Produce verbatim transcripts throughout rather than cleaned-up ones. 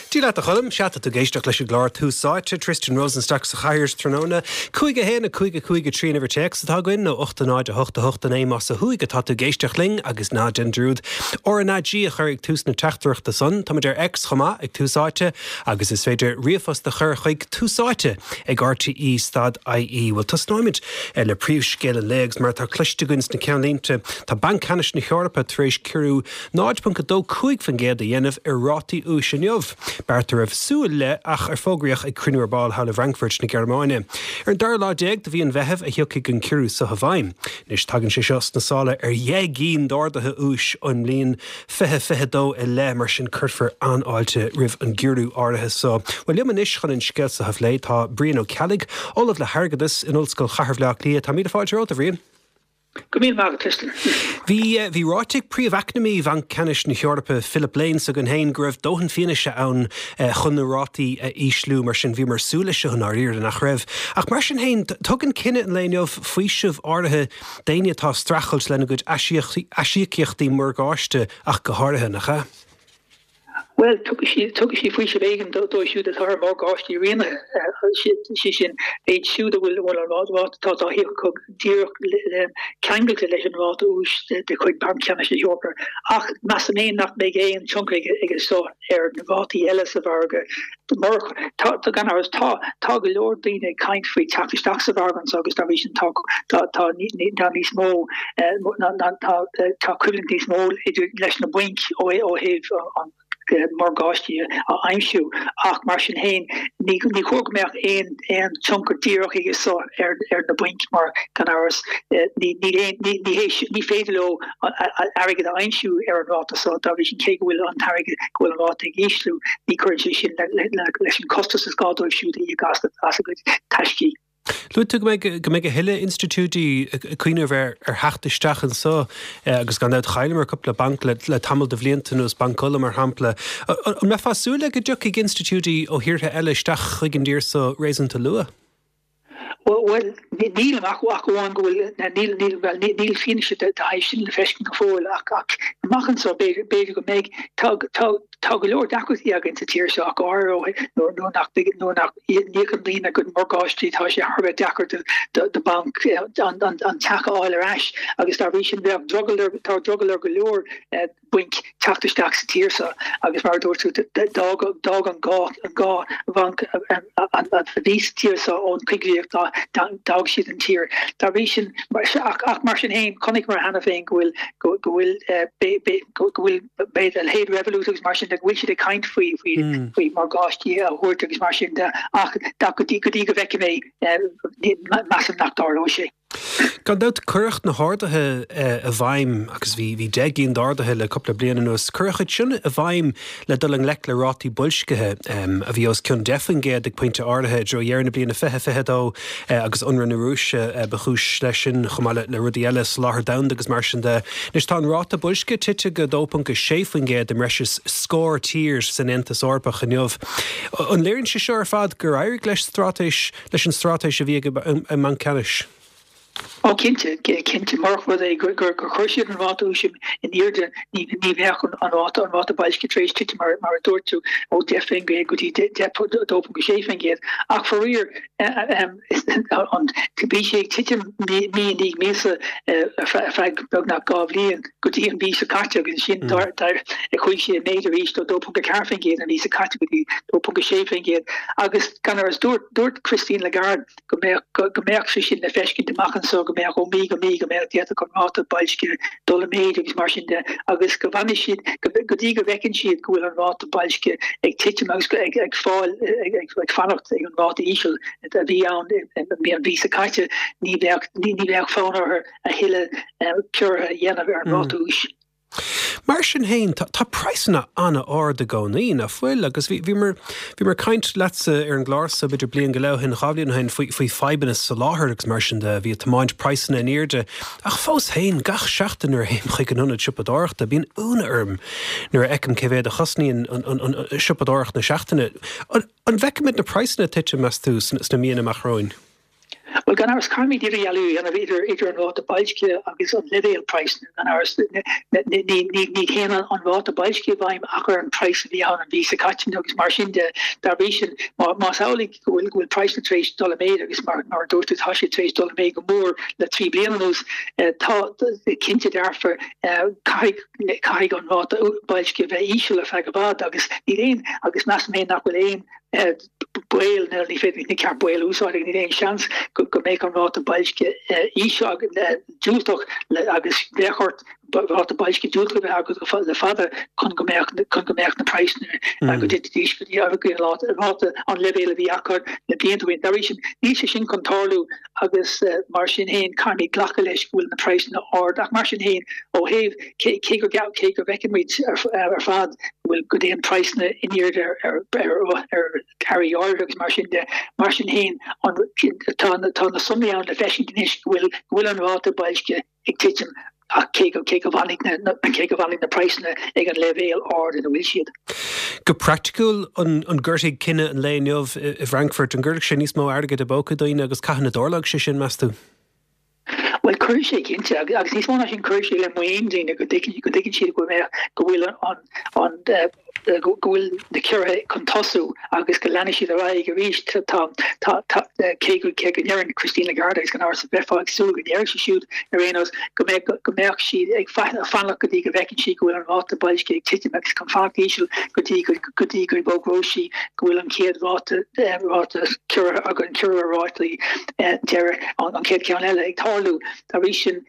Dia leat a Choilm, sea tá tú ag éisteacht leis an gclár Tús Áite, Tristan Rosenstock sa chathaoir tráthnóna. Cúig a haon a cúig a cúig a trí an uimhir téacs atá againn nó ocht a náid a hocht a hocht a naoi más ó thuaidh atá tú ag éisteacht linn agus ná déan dearúd RnaG a chur ag tús na teachtaireachta san. Táimid ar X chomh maith ag Tús Áite agus is féidir ríomhphost a chur chuig Tús Áite ag RTE stad IE. Bhuel tosnóimid le príomhscéal an lae agus mar atá cloiste againn sna ceannlínte tá Banc Ceannais na hEorpa tar éis ciorrú náid ponc a dó cúig faoin gcéad a dhéanamh ar rátaí úis inniu. Beart a raibh súil le ach ar fógraíodh ag cruinniú ar ball thall i bhFrankfurt na Gearmáine. Ar an dara lá déag de mhí an Mheithimh a thiocfaidh an ciorrú seo i bhfeidhm. Anois tagann sé seo sna sála ar dheich gcinn d'arduithe úis ón mbliain fiche fiche dó i leith mar sin cuirfear an-fháilte roimh an gciorrú áirithe seo. Bhuel liom anois chun an scéal seo a phlé tá Brian Ó Ceallaigh, Ollamh le hAirgeadas in Ollscoil Chathair Bhaile Átha Cliath. Tá míle fáilte romhat a Bhriain. Go míle maith Tristan. Bhí bhí ráite ag príomheacnamaí Bhanc Ceannais na hEorpa Philip Lane s'againn féin go raibh dóthain fianaise ann chun na rátaí a ísliú mar sin bhíomar ag súil leis seo i ndáiríre nach raibh. Ach mar sin féin tugann cinneadh an lae inniu faoiseamh áirithe d'éinne atá ag streachailt lena gcuid aisíocaíochtaí morgáiste ach go háirithe nach ea? Well tugann sí faoiseamh éigin dóibh siúd atá ar morgáistí rianaithe sé sin iad siúd a bhfuil bhfuil an ráta atá á híoc acu díreach ceangailte leis an ráta úis de chuid Banc Ceannais na hEorpa. Ach measaim féin nach mbeidh aon tionchar aige seo ar na rátaí eile sa mhargadh. Tá gan amhras tá tá go leor daoine ag caint faoi teacht isteach sa mhargadh anseo agus dá bhrí sin tá tá tá níos mó tá tá coimhlint níos mó idir leis na bainc ó ó thaobh an morgáistí a aimsiú ach mar sin féin ní ní chóir go mbeadh aon aon tionchar díreach aige seo ar ar na bainc mar gan amhras ní ní ní ní ní féidir leo airgead a aimsiú ar an ráta seo dá bhrí sin cé go bhfuil an t-airgead go bhfuil an ráta ag ísliú ní chuireann sé sin leis an costas is gá dóibh siúd a íoc as a gcuid taiscí. Luaigh tú go mbeidh go mbeidh a thuilleadh institiúidí ag cuimhneamh ar ar theacht isteach anseo agus gan dabht chailleamar cúpla banc le le tamall de bhlianta anuas Banc Uladh mar shampla. An mbeifeá ag súil le go dtiocfaidh institiúidí ó thíortha eile isteach chuig an dtír seo réasúnta luath? Well níl amach ach amháin go bhfuil níl níl well níl fianaise de thaobh sin le feiscint go fóill ach ach amach anseo b'fhéidir go mbeidh tá tá tá go leor deacrachtaí againn sa tír seo ach go háirithe nuair nuair nach nuair nach n-íocann daoine a gcuid morgáistí tá sé thar a bheith deacair do do do banc an an an teach a fháil ar ais agus dá bhrí sin bheadh drogall ar tá drogall ar go leor bainc teacht isteach sa tír seo agus mar a dúirt tú d'fhág d'fhág an dhá an dhá bhanc a bhí sa tír seo ón choigríoch d'fhág siad an tír. Dá bhrí sin ach ach mar sin féin chonaiceamar cheana féin go bhfuil go go bhfuil go bhfuil b'fhéidir a leithéid Revolut agus mar sin de go bhfuil siad ag caint faoi faoi faoi morgáistí a thabhairt agus mar sin de ach go dtí go dtí go bhfeicim é measaim nach dtarlóidh sé. Gan dabht cuireadh na harduithe i bhfeidhm agus bhí bhí deich gcinn d'arduithe le cúpla bliain anuas. Cuireadh iad sin i bhfeidhm le dul i ngleic le rátaí boilscithe a bhí os cionn deich faoin gcéad ag pointe áirithe i dtreo dheireadh na bliana fiche fiche dó agus ionradh na Rúise ba chúis leis sin chomh maith le rudaí eile soláthar domhanda agus mar sin de. Anois tá an ráta boilscithe tite go dó ponc a sé faoin gcéad i mbreis is scór tír san Aontas Eorpach inniu. An léiríonn sé seo ar fad gur éirigh leis straitéis leis an straitéis a bhí ag an mBanc Ceannais? Ó cinnte, cinnte murach rud é gur gur chuir siad an ráta úis in airde ní ní bheadh an ráta an ráta boilscithe tar éis titim mar mar a dúirt tú ó deich faoin gcéad go dtí dó ponc sé faoin gcéad. Ach faraor an bhí sé ag titim mí i ndiaidh míosa ar feadh beagnach dhá bhliain go dtí an mhí seo caite agus ansin chuaigh sé i méid arís ó dó ponc a ceathair faoin gcéad an mhí seo caite go dtí dó ponc a sé faoin gcéad agus gan amhras dúirt dúirt Christine Lagarde go mbeadh go mbeadh sé sin le feiscint amach anseo go mbeadh ó mhí go mí go mbeadh d'fhéadfadh an ráta boilscithe dul i méid agus mar sin de agus go bhfanfaidh siad go dtí go bhfeiceann siad go bhfuil an ráta boilscithe ag titim agus ag ag fáil ag ag fanacht ag an ráta íseal a bhí ann an mhí seo caite ní bheadh ní bheadh fonn orthu a thuilleadh ciorruithe a dhéanamh ar an ráta úis. Mar sin féin tá praghsanna an-ard i gcónaí nach bhfuil agus bhí bhíomar bhíomar ag caint leatsa ar an gclár seo b'fhéidir bliain go leith ó shin dhá bhliain ó shin faoi faoi fadhbanna soláthair agus mar sin de bhí ag tiomáint praghsanna in airde ach fós féin gach seachtain nuair a théim chuig an ionad siopadóireachta bíonn ionadh orm nuair a fheicim cé mhéad a chosnaíonn an an an siopadóireacht na seachtaine. An bhfeicfimid na praghsanna ag titim meas tú sna míonna amach romhainn? Well gan amhras caithfimid idirdhealú a dhéanamh idir idir an ráta boilscithe agus an leibhéal praghsanna gan amhras ní ní ní théann an ráta boilscithe i bhfeidhm ach ar an praghas a bhí ann an mhí seo caite agus mar sin de dá bhrí sin má más amhlaidh go bhfuil go bhfuil praghsanna tar éis dul i méid agus mar mar a dúirt tú tá siad tar éis dul i méid go mór le trí bliana anuas tá cinnte dearfa caithfidh caithfidh an ráta boilscithe bheith íseal ar feadh i bhfad agus níl aon agus measaim féin nach bhfuil aon baol nó ní féidir ní ceart baol a úsáid níl aon seans go go mbeidh an ráta boilscithe íseal diúltach agus bheadh ort ráta boilscithe diúltach a bheith agat le fada chun go mbeadh chun go mbeadh na praghsanna go dtitfidís go dtí an ráta an leibhéal a bhí acu na blianta ó shin. Dá bhrí sin níl sé sin chun tarlú agus mar sin féin caithfimid glacadh leis go bhfuil na praghsanna ard ach mar sin féin ó thaobh cé cé go cé go bhfeiceann muid ar ar fad go bhfuil go dtéann praghsanna in airde ar ar ar ar earraí áirithe agus mar sin de mar sin féin an tá tá na sonraí ann le feiscint anois go bhfuil go bhfuil an ráta boilscithe ag titim ach cé go cé go bhfanfaidh na cé go bhfanfaidh na praghsanna ag an leibhéal ard ina bhfuil siad. Go praiticiúil an an gcuirfidh cinneadh an lae inniu i bhFrankfurt an gcuirfidh sé níos mó airgid i bpóca daoine agus cathain a dtarlóidh sé sin meas tú? Well cuirfidh sé cinnte agus níos mó ná sin cuirfidh sé le muinín daoine go dtuigeann go dtuigeann siad go mbeadh go bhfuil an an go bhfuil na ciorruithe chun tosú agus go leanfaidh siad ar aghaidh arís tá tá tá cé go cé go ndeireann Christine Lagarde agus gan amhras bheifeá ag súil go ndéarfadh sí siúd ar aon nós go mbeadh go mbeadh siad ag fanacht go dtí go bhfeiceann sí go bhfuil an ráta boilscithe ag titim agus chun fanacht íseal go dtí go go dtí go bhfógróidh sí go bhfuil an chéad ráta ráta ciorraithe agus an ciorrú rátaí deireadh an chéad ceann eile ag tarlú dá bhrí sin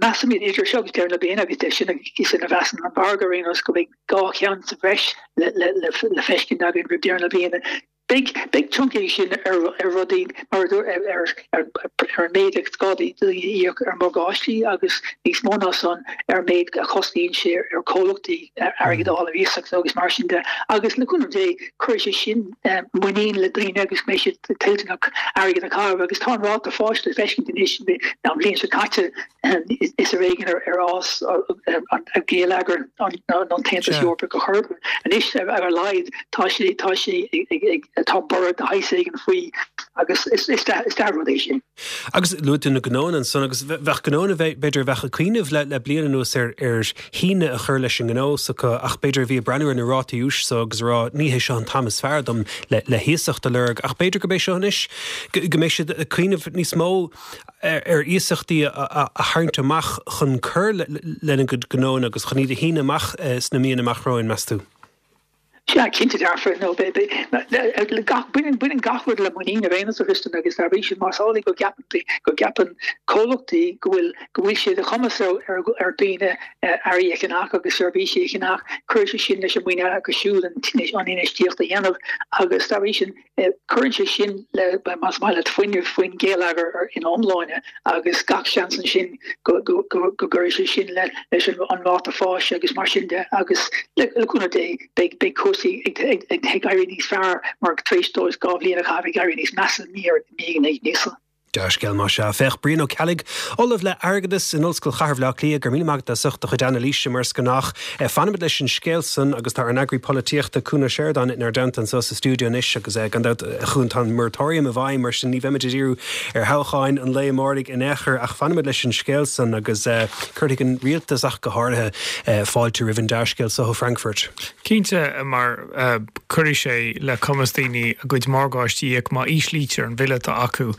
measaimid idir seo agus deireadh na bliana agus sin sin a mheasann an margadh ar aon nós go mbeidh dhá cheann sa bhreis le le le le feiscint againn roimh deireadh na bliana. Beidh beidh tionchar sin ar ar rudaí mar ar ar ar ar an méid is gá daoine a íoc ar morgáistí agus níos mó ná san ar an méid a chosnaíonn sé ar chomhlachtaí airgead a fháil ar iasacht agus mar sin de agus le cúnamh Dé cuirfidh sé sin muinín le daoine agus mbeidh siad toilteanach airgead a chaitheamh agus tá an ráta fáis le feiscint anois an bhliain seo caite is ar éigean ar ar fhás an geilleagar an an tAontas Eorpach a chur anois ar a laghad tá sé tá sé ag tá borradh de shaghas éigin faoi agus is is is dea-rud é sin. Agus luaigh tú na gnónna ansan agus bheadh gnónna b'fhéidir bheadh ag cuimhneamh le le bliain anuas ar ar shíneadh a chur leis an ngnó s'acu ach b'fhéidir bhí ag breathnú ar na rátaí úis so agus rá ní hé seo an t-am is fearr dom le le hiasacht a lorg ach b'fhéidir go mbeidh seo anois go mbeidh siad ag cuimhneamh níos mó ar ar iasachtaí a a a tharraingt amach chun cur lena gcuid gnónna agus chun iad a shíneadh amach sna míonna amach romhainn meas tú? Sea, cinnte dearfa, nó gach baineann baineann gach rud le muinín ar aon nós a Thristan agus dá bhrí sin más amhlaidh go gceapann go gceapann comhlachtaí go bhfuil go bhfuil sé de chumas ar ar ar daoine earraí a cheannach agus seirbhísí a cheannach, cuireann sé sin leis an muinín acu siúd an an infheistíocht a dhéanamh agus dá bhrí sin cuireann sé sin le más maith leat fuinneamh faoin gheilleagar ina iomláine agus gach seans ansin go go go go gcuirfidh sé sin le leis an an ráta fáis agus mar sin de agus le le cúnamh Dé beidh beidh cúrsaí ag ag ag ag éirí níos fearr mar tar éis dóibh dhá bhliain a chaitheamh ag éirí níos measa ní ar ní níos. Dea-scéal más ea. Féach Brian Ó Ceallaigh, Ollamh le Airgeadas in Ollscoil Chathair Bhaile Átha Cliath, go raibh míle maith agat as ucht do chuid anailíse mar is gnách. Fanfaimid leis an scéal san agus tá ár n-eagraí polaitíochta Cuan Ó Seireadáin inár dteannta anseo sa stiúideo anois agus gan dabht a Chuain tá an moratorium i bhfeidhm mar sin ní bheimid ag díriú ar thoghcháin an lae amáirigh in aon chor ach fanfaimid leis an scéal san agus cuirfidh an rialtas ach go háirithe fáilte roimh an dea-scéal seo ó Frankfurt. Cinnte mar cuirfidh sé le cumas daoine a gcuid morgáistí a íoc má íslítear an bille atá acu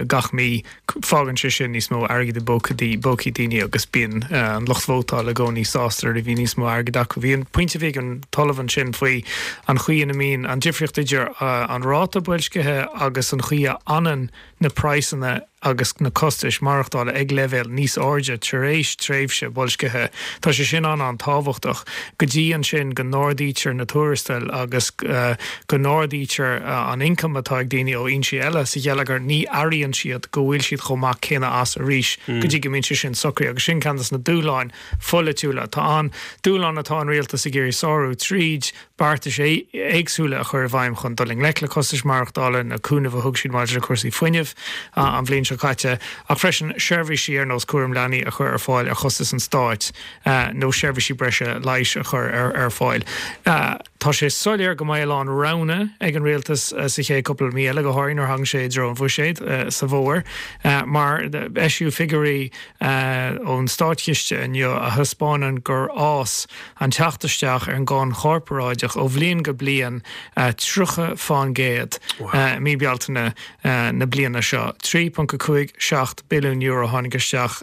gach mí fágann sé sin níos mó airgid i bpócaí daoine agus bíonn an lucht vótála i gcónaí sásta a bhí níos mó airgid acu. Bhí an pointe bhí an t-ollamh ansin faoi an chaoi ina mbíonn an difríocht idir an ráta boilscithe agus an chaoi a fhanann na praghsanna agus na costais maireachtála ag leibhéal níos airde tar éis tréimhse boilscithe. Tá sé sin an an-tábhachtach go dtí ansin go n-ardaítear na tuarastail agus uh, go n-ardaítear uh, an ioncam atá ag daoine ó fhoinsí eile sa gheilleagar ní airíonn siad go bhfuil siad chomh maith céanna as arís mm. go dtí go mbíonn sé sin socraithe agus sin ceann de na dúshláin pholaitiúla tá an dúshlán atá an rialtas ag iarraidh sárú tríd beartais éagsúla a chur i bhfeidhm chun dul i ngleic le costais maireachtála na cúnamh a thug siad maidir le cúrsaí fuinnimh an bhliain seo seo caite, ach freisin seirbhísí ar nós cúram leanaí a chur ar fáil ar chostas an stáit nó seirbhísí breise leighis a chur ar ar fáil. Tá sé soiléir go mbeidh a lán roghanna ag an rialtas sa chéad cúpla mí eile, go háirithe nuair a thagann sé i dtreo an bhuiséid sa bhfómhar, mar eisíodh figiúirí ón státchiste inniu a thaispeánann gur fhás an teacht isteach ar an gcáin chorparáideach ó bhliain go bliain tríocha fán gcéad i mí Bealtaine na bliana seo. trí ponc a cúig seacht billiún euro a tháinig isteach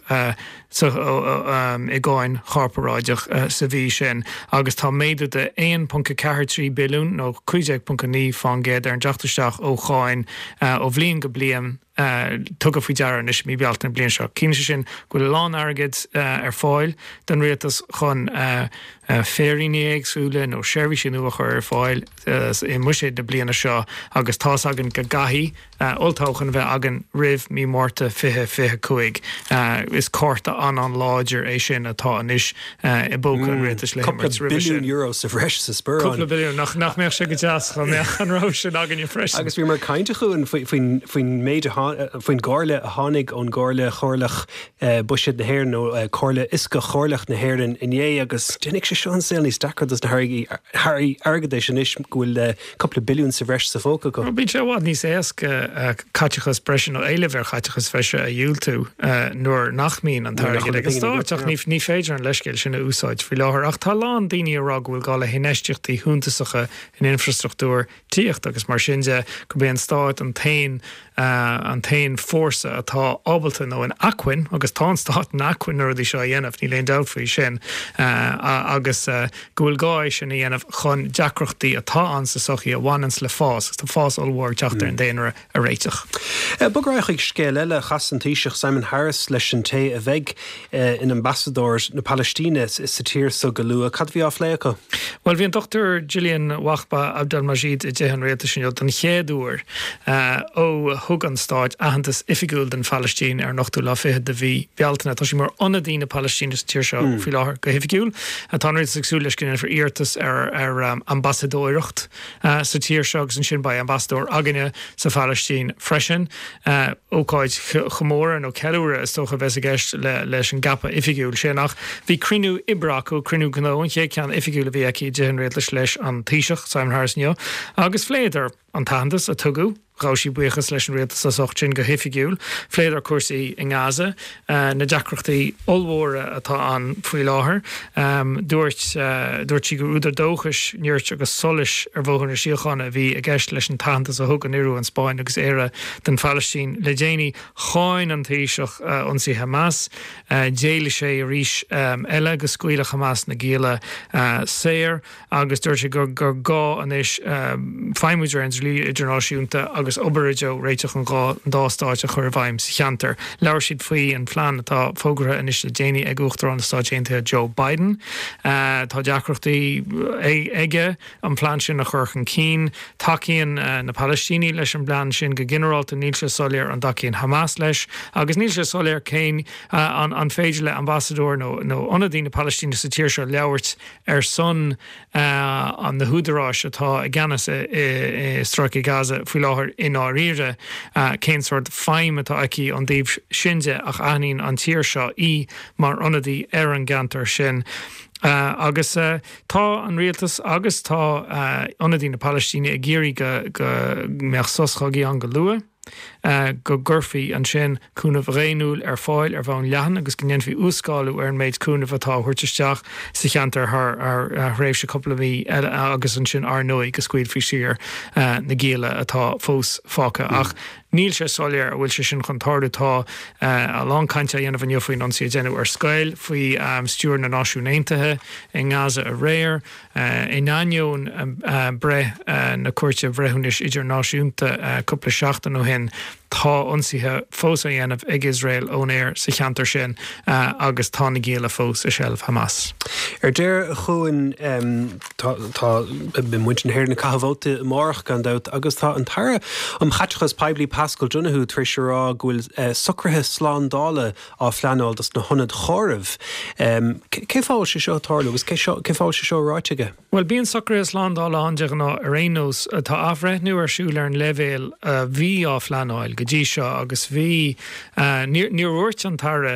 i gcáin chorparáideach sa mhí sin agus tá méadú de aon ponc a ceathair trí billiún nó cúig déag ponc a naoi fán gcéad ar an dteacht isteach ó cháin ó bhliain go bliain tugtha faoi deara anois i mí Bealtaine na bliana seo. Ciallaíonn sé sin go bhfuil a lán airgid ar fáil don rialtas chun féiríní éagsúla nó seirbhísí nua a chur ar fáil i mbuiséad na bliana seo agus tá's againn go gcaithfidh olltoghchán a bheith againn roimh mí Márta fiche fiche cúig. Is cárta an-an-láidir é sin atá anois i bpóca an rialtais le himirt roimhe sin. Cúpla billiún euro sa bhreis sa sparán. Cúpla billiún, nach nach mbeadh sé go deas dá mbeadh an rogha sin againne freisin. Agus bhíomar ag caint chugainn faoin faoin méid a faoin gcomhairle a tháinig ón gComhairle Chomhairleach Buiséad na hÉireann nó Comhairle Fhioscach Chomhairleach na hÉireann inné agus déanfaidh sé seo an saol níos deacra dos na hairí airgeadais anois go bhfuil cúpla billiún sa bhreis sa phóca acu. Bíonn sé i bhfad níos éasca caiteachas breise nó éileamh ar chaiteachas bhreise a dhiúltú nuair nach mbíonn an t-airgead ag an stát ach ní féidir an leithscéal sin a úsáid faoi láthair. Ach tá a lán daoine ag rá go bhfuil gá le hinfheistíochtaí shuntasacha in infrastruchtúr tithíochta agus mar sin de gurb é an stát an t-aon an t-aon fórsa atá ábalta nó in acmhainn, agus tá an stát in acmhainn na rudaí seo a dhéanamh, níl aon dabht faoi sin, agus go bhfuil gá é sin a dhéanamh chun deacrachtaí atá ann sa tsochaí a bhaineanns le fás, agus tá fás ollmhór ag teacht ar an daonra, a réiteach. Bog ar aghaidh chuig scéal eile, chas an Taoiseach Simon Harris leis an té a bheidh ina ambasadóir na Palaistíne sa tír so go luath. Cad a bhí á phlé acu? Bhuel, bhí an Dochtúir Gillian Wahba Abdelmajid i dTithe an Rialtais inniu den chéad uair ó thug an Stát aitheantas oifigiúil don Phalaistín ar an ochtú lá fichead de mhí Bealtaine. Tá sí mar ionadaí na Palaistíne sa tír seo faoi láthair go hoifigiúil. Tá an Rialtas ag súil leis go ndéanfar iarratas ar ar ambasadóireacht sa tír seo agus ansin beidh ambasadóir againne sa Phalaistín freisin. Ócáid chomóradh nó ceiliúradh is dócha a bheas i gceist leis an gceapadh oifigiúil sin. Ach bhí cruinniú oibre acu, cruinniú gnó, an chéad cheann oifigiúil a bhí aici i dTithe an Rialtais leis an Taoiseach, Simon Harris inniu, agus phléadar an t-aitheantas a tugadh. Ghabh sí buíochas leis an rialtas as ucht sin go hoifigiúil. Phléadar cúrsaí i nGaza, na deacrachtaí ollmhóra atá ann faoi láthair. Dúirt dúirt sí gur údar dóchais, nirt agus solais ar bhóthar na síochána a bhí i gceist leis an t-aitheantas a thug an Iorua, an Spáinn agus Éire don Phalaistín le déanaí. Cháin an Taoiseach ionsaí Hamas. D'éiligh sé arís eile go scaoilfeadh Hamas na gialla saor agus dúirt sé gur gur gá anois feidhmiú de réir an dlí idirnáisiúnta agus obair i dtreo réiteach an dhá dá stáit a chur i bhfeidhm sa cheantar. Labhair siad faoi an phlean atá fógartha anois le déanaí ag Uachtarán na Stáit Aontaithe Joe Biden. Tá deacrachtaí aige an plean sin a chur chun cinn. Tacaíonn na Palaistínigh leis an bplean sin go ginearálta, níl sé soiléir an dtacaíonn Hamas leis agus níl sé soiléir cén an an féidir le ambasadóir nó nó ionadaí na Palaistíne sa tír seo labhairt ar son an na húdaráis atá i gceannas i i Stráice Gaza faoi láthair i ndáiríre cén sórt feidhm atá aici ón dtaobh sin de ach aithníonn an tír seo í mar ionadaí ar an gceantar sin. Agus tá an rialtas agus tá ionadaí na Palaistíne ag iarraidh go go mbeadh sos chogaidh ann go luath. go gcuirfí ansin cúnamh daonnúil ar fáil ar bhonn leathan agus go ndéanfaí uas-scálú ar an méid cúnaimh atá á thabhairt isteach sa cheantar thar thréimhse cúpla mí eile agus ansin ar ndóigh go scaoilfí saor na gialla atá fós fágtha. Ach níl sé soiléir an bhfuil sé sin chun tarlú. Tá a lán cainte á dhéanamh inniu faoin ionsaí a deineadh ar scoil faoi stiúir na Náisiún Aontaithe i nGaza aréir. In ainneoin breith na Cúirte Bhreithiúnais Idirnáisiúnta cúpla seachtain ó shin, tá ionsaithe fós á dhéanamh ag Iosrael ón aer sa cheantar sin agus tá na gialla fós i seilbh Hamas. Ar deireadh chugainn, tá muintir na hÉireann ag caitheamh vóta amárach gan dabht agus tá an tAire um Chaiteachas Poiblí Paschal Donohoe tar éis a rá go bhfuil socruithe slándála á phleanáil dos na hionaid chomhairimh. Cén fáth a bhfuil sé seo ag tarlú agus cén fáth a bhfuil sé seo ráite aige? Bhuel, bíonn socruithe slándála ann de ghnáth ar aon nós. Tá athbhreithniú ar siúl ar an leibhéal a bhí á phleanáil go go dtí seo agus bhí níor dhúirt an tAire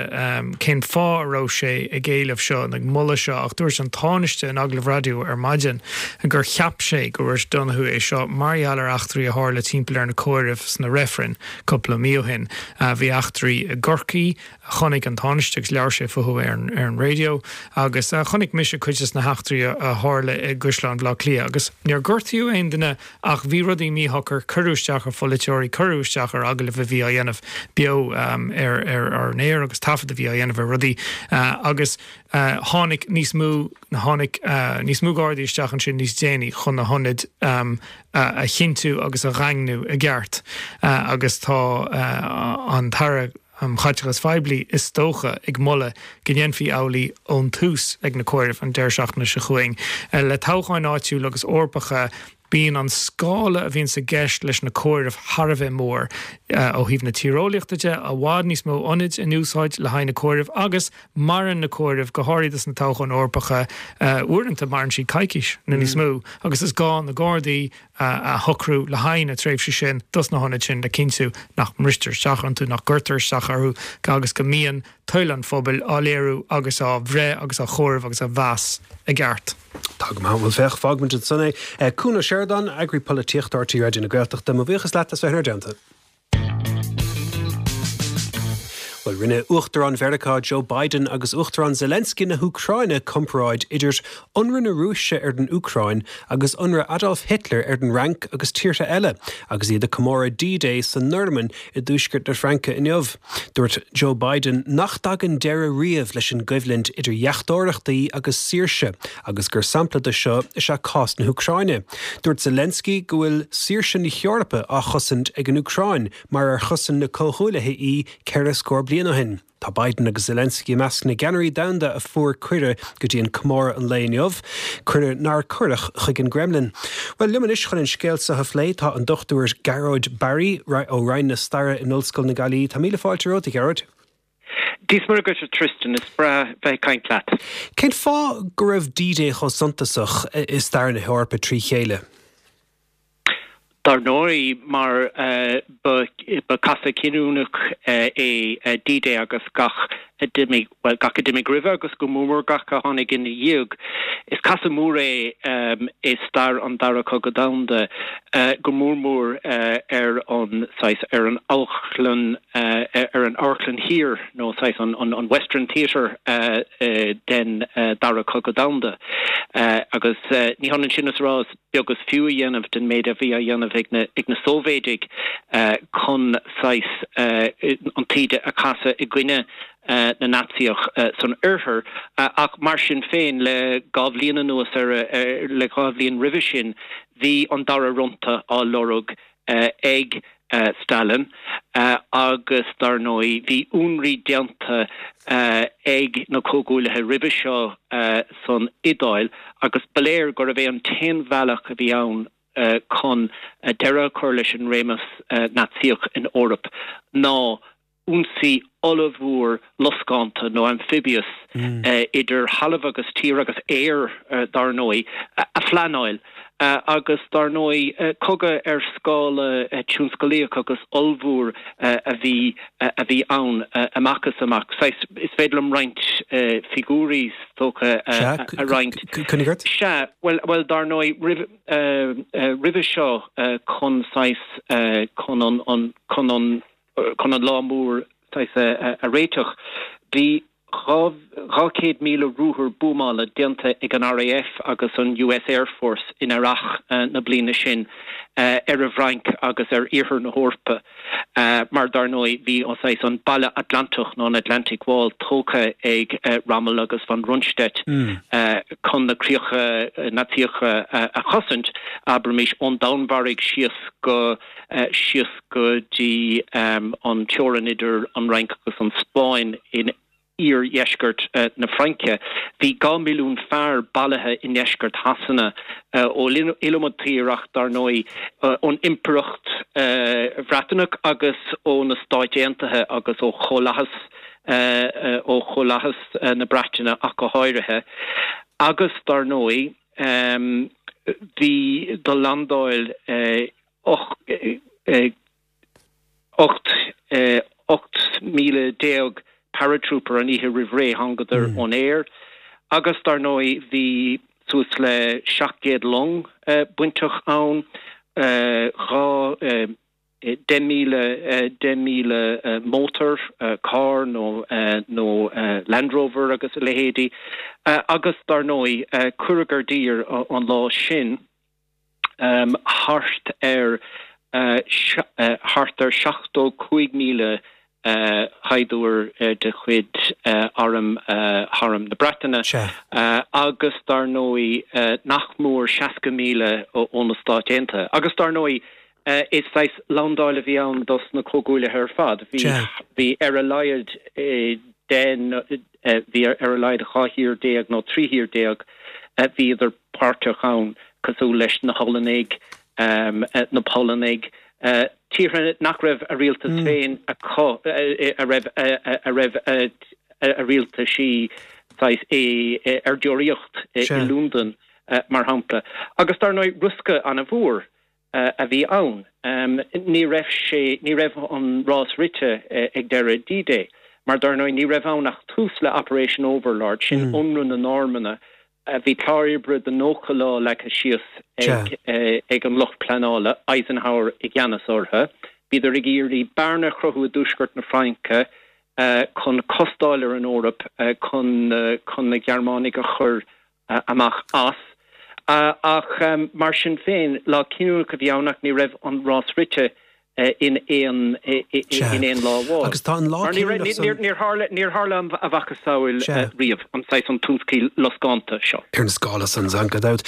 cén fáth a raibh sé ag éileamh seo ag moladh seo ach dúirt an Tánaiste in agallamh raidió ar maidin gur cheap sé go ndúirt Donohoe é seo mar gheall ar eachtraí a tharla timpeall ar na comhairimh sna reifrinn cúpla mí ó shin. Bhí eachtraí i gCorcaigh, chonaic an Tánaiste agus labhair sé fúthu ar an ar an raidió agus chonaic mise cuid de na heachtraí a tharla i gCaisleán Bhaile Átha Cliath agus níor gortaíodh aon duine ach bhí rudaí míshocair, cuireadh isteach ar pholaiteoirí, cuireadh isteach ar agallaimh a bhí á dhéanamh beo ar ar ar an aer agus taifead a bhí á dhéanamh ar rudaí agus tháinig níos mó tháinig níos mó gardaí isteach ansin níos déanaí chun na hionaid a chinntiú agus a dhaingniú i gceart agus tá an tAire um Chaiteachais Phoiblí is dócha ag moladh go ndéanfaí amhlaidh ón tús ag na comhairimh an deireadh seachtaine seo chugainn. Le toghcháin áitiúla agus Eorpacha bíonn an scála a bhíonn i gceist leis na comhairimh thar a bheith mór ó thaobh na tíreolaíochta de, i bhfad níos mó ionaid in úsáid le haghaidh na comhairimh agus maireann na comhairimh go háirithe sna toghcháin Eorpacha uaireanta maireann siad coicís nó níos mó agus is gá na Gardaí a shocrú le haghaidh na tréimhse sin dos na hionaid sin le cinntiú nach mbristear isteach iontu, nach gcuirtear isteach orthu agus go mbíonn toil an phobail á léiriú agus á bhreith agus á chomhaireamh agus á mheas i gceart. Tá go maith, bhuel féach, fágfaimid ansan é. Cuan Ó Seireadáin, Eagraí Polaitíochta R T Raidió na Gaeltachta, mo bhuíochas leat as bheith inár dteannta. Bhuel, rinne Uachtarán Mheiriceá Joe Biden agus Uachtarán Zelensky na hÚcráine comparáid idir ionradh na Rúise ar an Úcráin agus ionradh Adolf Hitler ar an Fhrainc agus tíortha eile, agus iad ag comóradh D-Day sa Normainn i dtuaisceart na Fraince inniu. Dúirt Joe Biden nach dtagann deireadh riamh leis an gcoimhlint idir dheachtóireachtaí agus saoirse agus gur sampla de seo is ea cás na hÚcráine. Dúirt Zelensky go bhfuil saoirse na hEorpa á chosaint ag an Úcráin mar ar chosain na Comhghuaillithe í ceithre scór bliain ó shin. Tá Biden agus Zelensky i measc na gceannairí domhanda a fuair cuireadh go dtí an comóradh an lae inniu, cuireadh nár cuireadh chuig an gCremlin. Bhuel, liom anois chun an scéal seo a phlé tá an Dochtúir Gearóid Barry ó Roinn na Staire in Ollscoil na Gaillimhe. Tá míle fáilte romhat, a Ghearóid. Dia is Muire dhuit, a Tristan, is breá bheith ag caint leat. Cén fáth go raibh D-Day chomh suntasach i stair na hEorpa trí chéile? Dar ndóigh, mar ba casadh cinniúnach é D-Day agus gach a d'imigh, bhuel, gach a d'imigh roimhe agus go mór mór gach a tháinig ina dhiaidh. Is casadh mór é i stair an Dara Cogadh Domhanda, go mór mór ar an, saghas, ar an amharclann, ar an amharclann thiar nó saghas an Western Theatre den Dara Cogadh Domhanda. Agus ní hionann sin is a rá is beag is fiú a dhéanamh den méid a bhí á dhéanamh ag na ag na Sóivéadaigh chun saghas an taoide a chasadh i gcoinne na Naitsíoch san Oirthear ach mar sin féin le dhá bhliain anuas ar le dhá bhliain roimhe sin bhí an dara fronta á lorg ag Stalin agus dar ndóigh bhí ionraí déanta ag na Comhghuaillithe roimhe seo san Iodáil agus ba léir gurbh é an t-aon bhealach a bhí ann chun deireadh a chur leis an réimeas Naitsíoch in Eoraip ná ionsaí ollmhór loscánta nó amphibious idir thalamh agus tír agus aer dar ndóigh a phleanáil agus dar ndóigh cogadh ar scála tionsclaíoch agus ollmhór a bhí a bhí ann amach is amach. Saghas, is féidir liom roinnt figiúirí is dócha a roinnt. Coinnigh ort. Sea, bhuel, bhuel dar ndóigh roimh roimhe seo chun saghas chun an chun an chun an lá mór saghas a réiteach. Bhí dhá chéad míle ruathar buamála déanta ag an R A F agus an U S Air Force in earrach na bliana sin ar an bhFrainc agus ar iarthar na hEorpa mar dar ndóigh bhí an saghas an Balla Atlantach nó an Atlantic Wall tógtha ag Rommel agus von Rundstedt chun na críocha Naitsíocha a chosaint, abraimis, ón Danmhairg síos go síos go dtí an teorainn idir an Fhrainc agus an Spáinn in iardheisceart na Fraince. Bhí dhá milliún fear bailithe i ndeisceart Shasana, ón iliomad tír ach dar ndóigh ón Impireacht Bhreatanach agus ó na Stáit Aontaithe agus ó Chomhlathas ó Chomhlathas na Breataine ach go háirithe. Agus dar ndóigh bhí do landáil ocht ocht míle déag paratrooper an oíche roimh ré thángadar ón aer agus dar ndóigh bhí suas le seacht gcéad long bainteach ann dhá deich míle deich míle mótar carr nó nó Land Rover agus a leithéidí agus dar ndóigh cuireadh i dtír an lá sin thart ar thart ar seachtó cúig míle shaighdiúir de chuid arm arm na Breataine agus dar ndóigh nach mór seasca míle ó na Stáit Aontaithe. Agus dar ndóigh is saghas landáil a bhí ann dos na comhghuaillithe ar fad. Bhí bhí ar a laghad den bhí ar a laghad dhá thír déag nó trí thír déag bhíodar páirteach ann cosúil leis na Hollannaigh, na Polannaigh, tíortha nach raibh a rialtas féin acu, a raibh a raibh a rialtaisí saghas ar deoraíocht i Londain mar shampla. Agus dar ndóigh riosca an-mhór a bhí ann. Ní raibh sé ní raibh an rás rite ag deireadh D-Day, mar dar ndóigh ní raibh ann ach tús le Operation Overlord, sin ionradh na Normanna Bhí clár oibre de nócha lá leagtha síos ag ag an lucht pleanála, Eisenhower i gceannas orthu. Bhíodar ag iarraidh bearna a chruthú i dtuaisceart na Fraince chun costáil ar an Eoraip chun chun na Gearmánaigh a chur amach as. Ach mar sin féin, lá cinniúnach a bhí ann ach ní raibh an rás rite. in aon in aon lá amháin. Agus tá an lá Mar ní raibh cinniúnach níor tharla níor tharla a mhacasamhail riamh an saghas an tionsclaí loscánta seo. Ar an scála san gan dabht.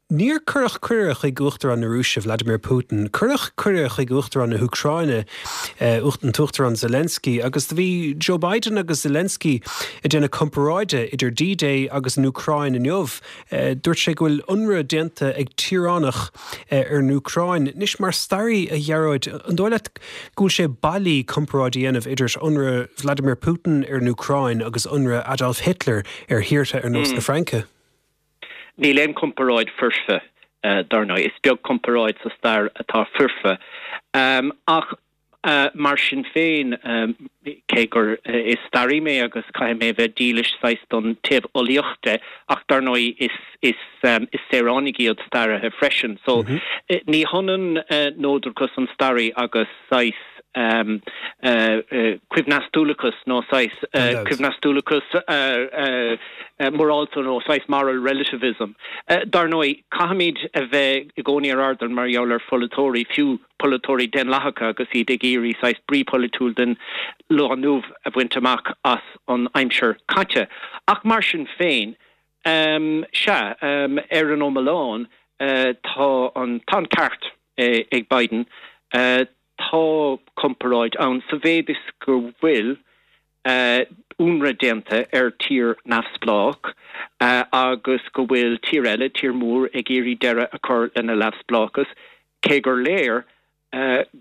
Níor cuireadh cuireadh chuig Uachtarán na Rúise Vladimir Putin, cuireadh cuireadh chuig Uachtarán na hÚcráine an tUachtarán Zelensky agus do bhí Joe Biden agus Zelensky ag déanamh comparáide idir D-Day agus an Úcráin inniu. Dúirt sé go bhfuil ionradh déanta ag tíoránach ar an Úcráin. Anois mar staraí a Ghearóid, an dóigh leat go bhfuil sé bailí comparáid a dhéanamh idir ionradh Vladimir Putin ar an Úcráin agus ionradh Adolf Hitler ar thíortha ar nós na Fraince? Níl aon comparáid foirfe, dar ndóigh. Is beag comparáid sa stair atá foirfe. Ach mar sin féin, cé gur is staraí mé agus caithfidh mé a bheith dílis saghas don taobh eolaíoch de, ach dar ndóigh is is is saoránaigh iad staraithe freisin. So ní hionann neodrachas an staraí agus saghas coibhneastúlachas nó saghas coibhneastúlachas morálta nó saghas moral relativism. Dar ndóigh, caithfimid a bheith i gcónaí ar airdeall mar gheall ar pholaiteoirí, fiú polaiteoirí daonlathacha agus iad ag iarraidh saghas brí polaitiúil den lá inniu a bhaint amach as an aimsir caite. Ach mar sin féin, sea, ar an iomlán, tá an tá an ceart ag Biden. Tá comparáid ann sa mhéid is go bhfuil ionradh déanta ar tír neamhspleách agus go bhfuil tír eile, tír mór, ag iarraidh deireadh a chur lena neamhspleáchas, cé gur léir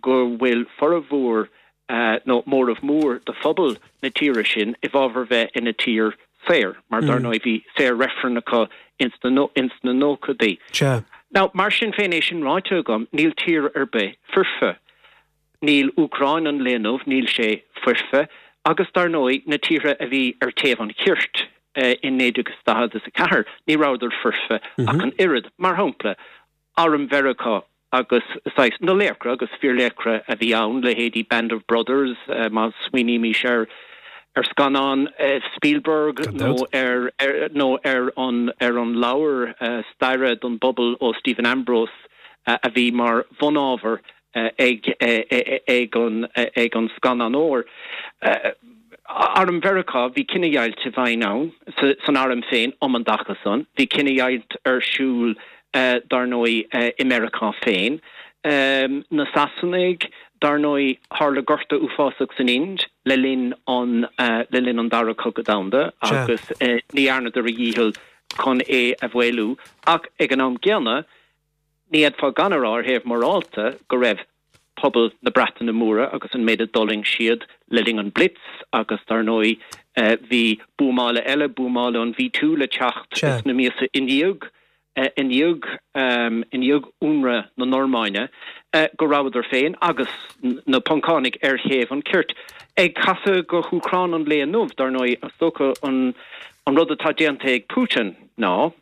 go bhfuil formhór nó móramh mór de phobal na tíre sin i bhfabhar bheith ina tír saor, mar dar ndóigh bhí saor-reifreann acu ins na nóchaidí. Now, mar sin féin, é sin ráite agam, níl tír ar bith foirfe. Níl Úcráin an lae inniu, níl sé foirfe, agus dar ndóigh na tíortha a bhí ar taobh an chirt in naoi déag is daichead is a ceathair, ní rabhadar foirfe ach an oiread. Mar shampla, Arm Mheiriceá agus saghas na laochra agus fíorlaochra a bhí ann, leithéidí Band of Brothers, má smaoinímis ar ar scannán Spielberg nó ar nó ar an ar an leabhar staire don bpobal ó Stephen Ambrose a bhí mar bhunábhar ag ag an ag an scannánóir. Arm Mheiriceá, bhí cinedheighilt i bhfeidhm ann san arm féin um an dtaca san. Bhí cinedheighilt ar siúl dar ndóigh i Meiriceá féin. Na Sasanaigh, dar ndóigh, tharla gorta uafásach san Ind le linn an le linn an Dara Cogadh Domhanda agus ní dhearnadar a dhícheall chun é a mhaolú. Ach ag an am gcéanna, ní fhéadfá gan a rá ar thaobh morálta go raibh pobal na Breataine Móire agus an méid a d'fhulaing siad le linn an Blitz agus dar ndóigh bhí buamála eile, buamála an V Two le teacht sna míosa i ndiaidh i ndiaidh i ndiaidh ionradh na Normainne. go rabhadar féin agus na Poncánaigh ar thaobh an chirt. Ag casadh go hÚcráin an lae inniu, dar ndóigh, is dócha an an rud atá déanta ag Putin ná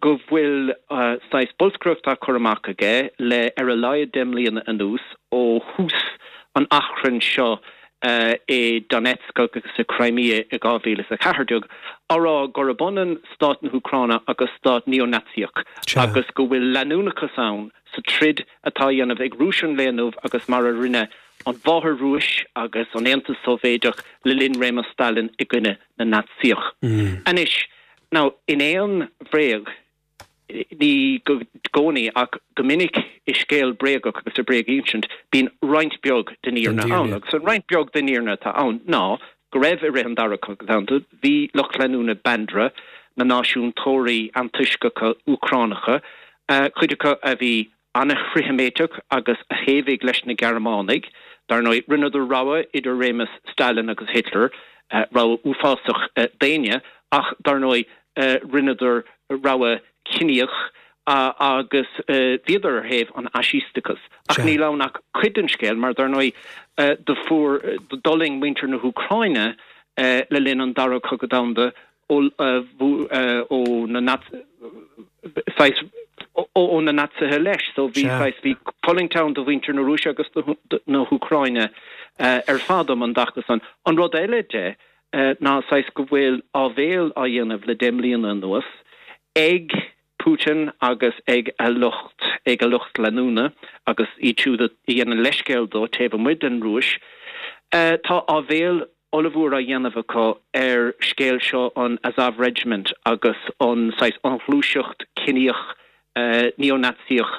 go bhfuil saghas bolscaireacht á cur amach aige le ar a laghad deich mbliana anuas ó thús an achrainn seo i Donetsk agus i Crimea i dhá mhíle is a ceathair déag, á rá gurb ionann stát na hÚcráine agus stát neo-Naitsíoch agus go bhfuil leanúnachas ann sa troid atá á dhéanamh ag Rúis an lae inniu agus mar a rinne an Mháthair-Rúis agus an Aontas Sóivéadach le linn réimeas Stalin i gcoinne na Naitsíoch. Anois, now, in aon bhréag, ní i gcónaí ach go minic i scéal bréagach agus i bréaginsint, bíonn roinnt beag den fhírinne ann. Agus an roinnt beag den fhírinne atá ann ná go raibh i rith an Dara Cogadh Domhanda, bhí lucht leanúna Bandera, na náisiúntóirí antoisceacha Úcránacha, cuid acu a bhí an-fhrith-Sheimíteach agus a thaobhaigh leis na Gearmánaigh, dar ndóigh, rinneadar rogha idir réimeas Stalin agus Hitler, rogha uafásach d'éinne, ach dar ndóigh, rinneadar rogha chiníoch agus bhíodar ar thaobh an fhaisísteachais. Ach níl ann ach cuid den scéal, mar dar ndóigh, do fuair, d'fhulaing muintir na hÚcráine le linn an Dara Cogadh Domhanda ó na saghas ó na Naitsithe leis. So bhí saghas, bhí fulaingt ann do mhuintir na Rúise agus na hÚcráine ar fad um an dtaca san. An rud eile de ná saghas go bhfuil áibhéil á dhéanamh le deich mbliana anuas ag Putin agus ag a lucht, ag a lucht leanúna agus iad siúd a dhéanann leithscéal dó taobh amuigh den Rúis. Tá áibhéil ollmhór á dhéanamh acu ar scéal seo an Azov Regiment agus an saghas an ghluaiseacht ciníoch neo-Naitsíoch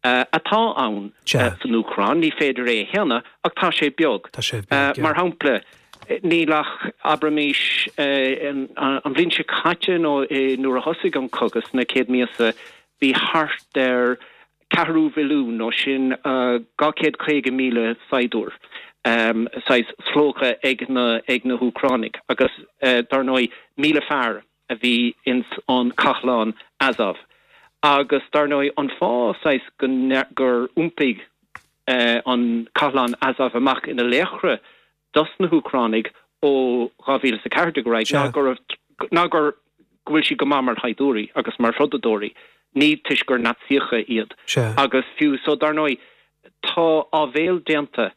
atá ann san Úcráin. Ní féidir é a shéanadh ach tá sé beag. Tá sé beag, yeah. Mar shampla, níl ach, abraimis, an bhliain seo caite nó nuair a thosaigh an cogadh sna chéad míosa, bhí thart ar ceathrú mhilliún, nó sin dhá chéad caoga míle saighdiúir, saghas slógtha ag na ag na hÚcránaigh agus dar ndóigh míle fear a bhí ins an chathlán Azov. Agus dar ndóigh an fáth saghas go gur iompaigh an cathlán Azov amach ina laochra dos na hÚcránaigh ó dhá mhíle is a ceathair déag ar aghaidh ná go raibh ná gur go bhfuil siad go maith mar shaighdiúirí agus mar throideadóirí, ní toisc gur Naitsíocha iad. Agus fiú so dar ndóigh tá áibhéil déanta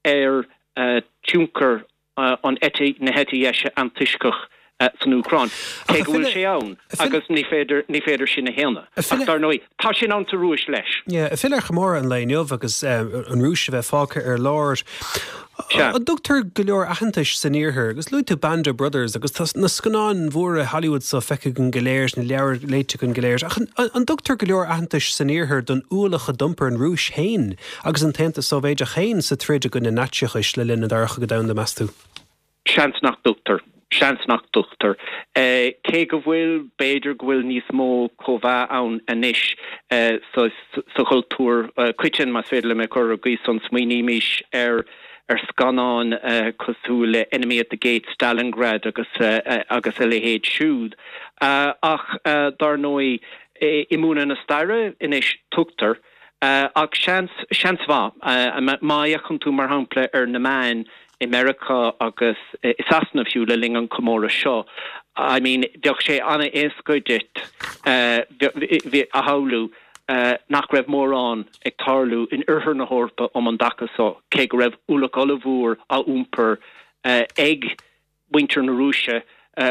ar tionchar an eite, na heite dheise antoisceach san Úcráin, cé go bhfuil sé ann agus ní féidir, ní féidir sin a shéanadh. Ach dar ndóigh, tá sin ann sa Rúis leis. Yeah, ag filleadh ar chomóradh an lae inniu agus an Rúis a bheith fágtha ar lár, an dtugtar go leor aitheantais san Iarthar, agus luaigh tú Band of Brothers agus tá na scannáin mhóra Hollywood so feicthe againn go léir, na leabhair léite againn go léir, ach an dtugtar go leor aitheantais san Iarthar don ualach a d'iompair an Rúis féin agus an tAontas Sóivéideach féin sa troid i gcoinne Naitsíochais le linn an Dara Cogadh Domhanda, meas tú? Seans nach dtugtar. Seans nach dtugtar. Cé go bhfuil, b'fhéidir go bhfuil níos mó comhbhá ann anois sa chultúr coiteann, más féidir liom é a chur ar an gcaoi san, smaoinímis ar ar scannáin cosúil le Enemy at the Gates, Stalingrad agus agus a leithéid siúd. Ach dar ndóigh, i múineadh na staire anois tugtar, ach seans, seans mhaith, má fhéachann tú mar shampla ar na meáin i Meiriceá agus i Sasana fiú le linn an chomóradh seo, I mean bheadh sé an-éasca duit a shamhlú nach raibh mórán ag tarlú in oirthear na hEorpa um an dtaca seo, cé go raibh ualach ollmhór á iompar ag muintir na Rúise